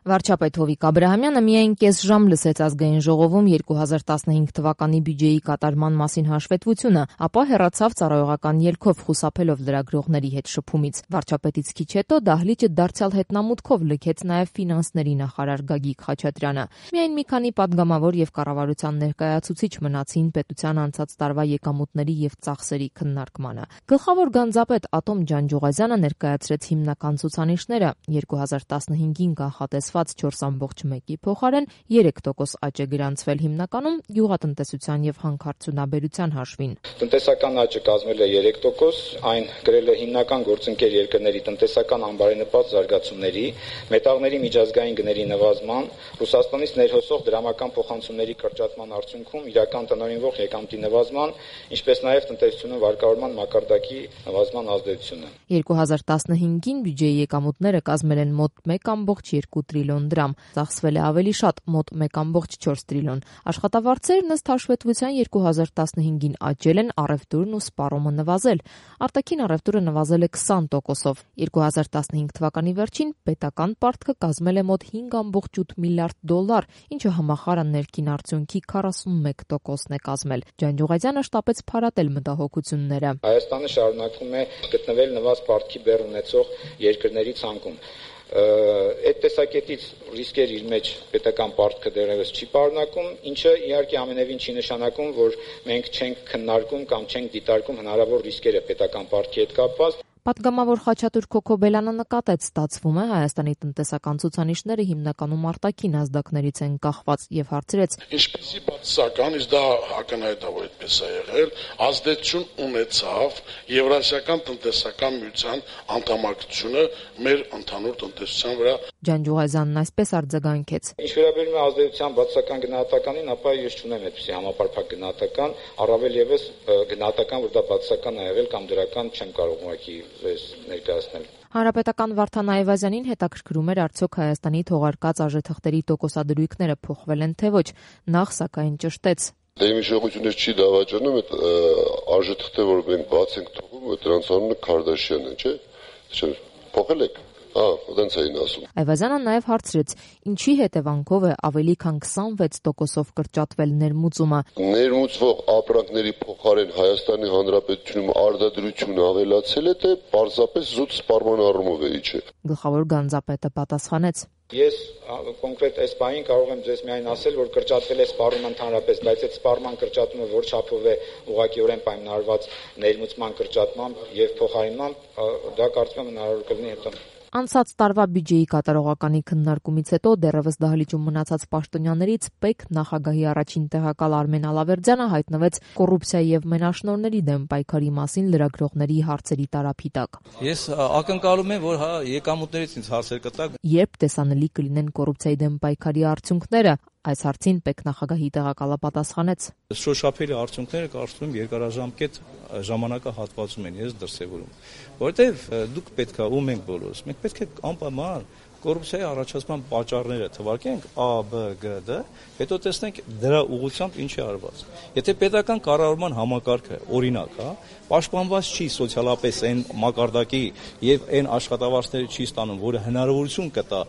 Վարչապետ Հովիկ Աբրահամյանը միայն կես ժամ լսեց ազգային ժողովում 2015 թվականի բյուջեի կատարման մասին հաշվետվությունը, ապա հեռացավ ծառայողական ելքով խուսափելով լրագրողների հետ շփումից։ Վարչապետից քիչ հետո դահլիճը դարձյալ հետնամուտքով լքեց նաև ֆինանսների նախարար Գագիկ Խաչատրյանը։ Միայն մի քանի պատգամավոր եւ կառավարության ներկայացուցիչ մնացին պետության անցած տարվա եկամուտների եւ ծախսերի քննարկմանը։ Գլխավոր գանձապետ Ատոմ Ջանջուղազյանը ներկայացրեց հիմնական ցուցանիշները 2015-ին կանխատեսված 4.1-ի փոխարեն 3% աճ է գրանցվել հիմնականում գյուղատնտեսության եւ հանքարդյունաբերության հաշվին։ Տնտեսական աճը կազմել է 3%, այն գրել է հիմնական գործընկեր երկրների տնտեսական անբարենպաստ զարգացումների, մետաղների միջազգային գների նվազման, Ռուսաստանից ներհոսող դրամական փոխանցումների կրճատման արդյունքում իրական տնօրինվող եկամտի նվազման, ինչպես նաև տնտեսությունում վարկավորման մակարդակի նվազման ազդեցությունը։ 2015-ին բյուջեի եկամուտները կազմել են մոտ 1.2 տրիլիոն դրամ, ծախսվել է ավելի շատ մոտ 1.4 տրիլիոն։ Աշխատավարձերն ըստ հաշվետվության 2015-ին աճել են, առևտուրն ու սպառումը նվազել։ Արտաքին առևտուրը նվազել է 20%-ով։ 2015 թվականի վերջին պետական պարտքը կազմել է մոտ 5.8 միլիարդ դոլար, ինչը համախառն ներքին արդյունքի 41%-ն է կազմել։ Ջանջուղազյանը շտապեց փարատել մտահոգությունները։ Հայաստանը շարունակում է գտնվել նվազ պարտքի բեռ ունեցող երկրների ցանկում։ Այդ տեսակետից ռիսկեր իր մեջ պետական պարտքը դեռևս չի պարունակում, ինչը իհարկե ամենևին չի նշանակում, որ մենք չենք քննարկում կամ չենք դիտարկում հնարավոր ռիսկերը պետական պարտքի հետ կապված։ Պատգամավոր Խաչատուր Քոքոբելյանը նկատեց, ստացվում է Հայաստանի տնտեսական ցուցանիշները հիմնականում արտաքին ազդակներից են կախված եւ հարցրեց. Ինչպեսի բացասական, իսկ դա ակնհայտ է, որ այդպես է եղել, ազդեցություն ունեցավ Եվրասիական տնտեսական միության անդամակցությունը մեր ընդհանուր տնտեսության վրա։ Ջանջուղազյանն այսպես արձագանքեց. Ինչ վերաբերում է ազդեցության բացասական գնահատականին, ապա ես չունեմ այդպիսի համապարփակ գնահատական, առավել եւս գնահատական, որ դա բացասական է եղել կամ դրական չեմ կարող ուղղակի ներկայացնել։ Հանրապետական Վարդան Այվազյանին հետաքրքրում էր արդյոք Հայաստանի թողարկած արժեթղթերի տոկոսադրույքները փոխվել են թե ոչ, նախ սակայն ճշտեց. Դե իմ իշխողությունից չի դավաճանում այդ արժեթղթերը, որ մենք բաց ենք թողում, դրանց անունը Քարդաշյանն է, չէ՞։ Փոխել եք։ Դենց էին ասում։ Այվազյանը նաև հարցրեց, ինչի հետևանքով է ավելի քան 26%-ով կրճատվել ներմուծումը։ Ներմուծվող ապրանքների փոխարեն Հայաստանի Հանրապետությունում արտադրությունը ավելացել է, թե պարզապես զուտ սպառման առումով է, չէ։ Գլխավոր գանձապետը պատասխանեց. Ես կոնկրետ այս բանին կարող եմ ձեզ միայն ասել, որ կրճատվել է սպառումը ընդհանրապես, բայց այդ սպառման կրճատումը որ չափով է ուղղակիորեն պայմանավորված ներմուծման կրճատմամբ եւ փոխարինմամբ, դա կարծում եմ հնարավոր կլինի հետո։ Անցած տարվա բյուջեի կատարողականի քննարկումից հետո դեռևս դահլիճում մնացած պաշտոնյաներից ՊԵԿ նախագահի առաջին տեղակալ Արմեն Ալավերդյանը հայտնվեց կոռուպցիայի եւ մենաշնորհների դեմ պայքարի մասին լրագրողների հարցերի տարափի տակ։ Ես ակնկալում եմ, որ եկամուտներից ինձ հարցեր կտակ։ Երբ տեսանելի կլինեն կոռուպցիայի դեմ պայքարի արդյունքները, այս հարցին ՊԵԿ նախագահի տեղակալը պատասխանեց. Շոշափելի արդյունքները կարծում եմ երկարաժամկետ ժամանակահատվածում են ես դրսևորում, որովհետև դուք պետք է ու մենք բոլորս, մենք պետք է անպայման կոռուպցիայի առաջացման պատճառները թվարկենք A, B, G, D, հետո տեսնենք դրա ուղղությամբ ինչ է արված։ Եթե պետական կառավարման համակարգը օրինակ է, պաշտպանված չի սոցիալապես այն մակարդակի եւ այն աշխատավարձները չի ստանում, որը հնարավորություն կտա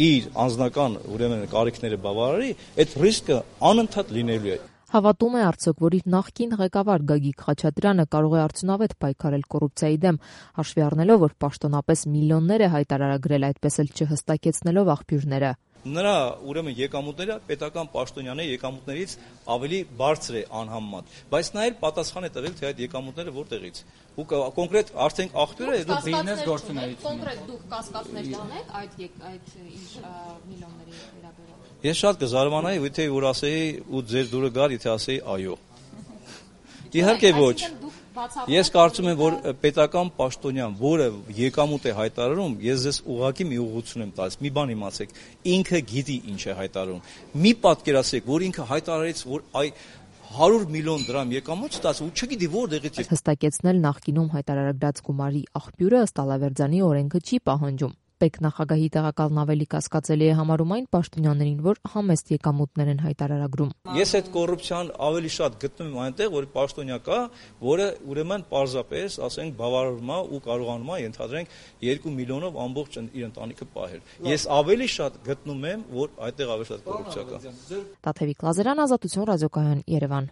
իր անձնական ուրեմն կարիքները բավարարի, այդ ռիսկը անընդհատ լինելու է։ Հավատում է արդյոք, որ իր նախկին ղեկավար Գագիկ Խաչատրյանը կարող է արդյունավետ պայքարել կոռուպցիայի դեմ, հաշվի առնելով, որ պաշտոնապես միլիոններ է հայտարարագրել, այդպես էլ չհստակեցնելով աղբյուրները։ Նրա ուրեմն եկամուտները պետական պաշտոնյաների եկամուտներից ավելի բարձր է անհամեմատ, բայց նա էլ պատասխան է տվել, թե այդ եկամուտները որտեղից։ Ու կոնկրետ արդեն աղբյուրը է դու բիզնես գործունեություն։ Կոնկրետ դուք կասկածներ տանեք այդ ինչ միլիոնների վերաբերյալ։ Ես շատ կզարմանայի, եթե որ ասեի ու ձեր դուրը գար, եթե ասեի այո։ Իհարկե ոչ։ Ես կարծում եմ, որ պետական պաշտոնյան, որը եկամուտ է հայտարարում, ես ձեզ ուղղակի մի ուղղություն եմ տալիս, մի բան իմացեք, ինքը գիտի ինչ է հայտարարում։ Մի պատկերացրեք, որ ինքը հայտարարեց, որ 100 միլիոն դրամ եկամուտ ստացավ ու չգիտի որտեղից է։ Հստակեցնել նախկինում հայտարարած գումարի աղբյուրը ըստ Ալավերդյանի օրենքը չի պահանջում։ ՊԵԿ նախագահի տեղակալն ավելի կասկածելի է համարում այն պաշտոնյաներին, որ համեստ եկամուտներ են հայտարարագրում։ Ես այդ կոռուպցիան ավելի շատ գտնում եմ այնտեղ, որ պաշտոնյա կա, որը ուրեմն պարզապես, ասենք, բավարարում է ու կարողանում է ենթադրենք 2 միլիոնով ամբողջ իր ընտանիքը պահել։ Ես ավելի շատ գտնում եմ, որ այդտեղ ավելի շատ կոռուպցիա կա։ Տաթևիկ Լազարյան, Ազատություն ռադիոկայան, Երևան։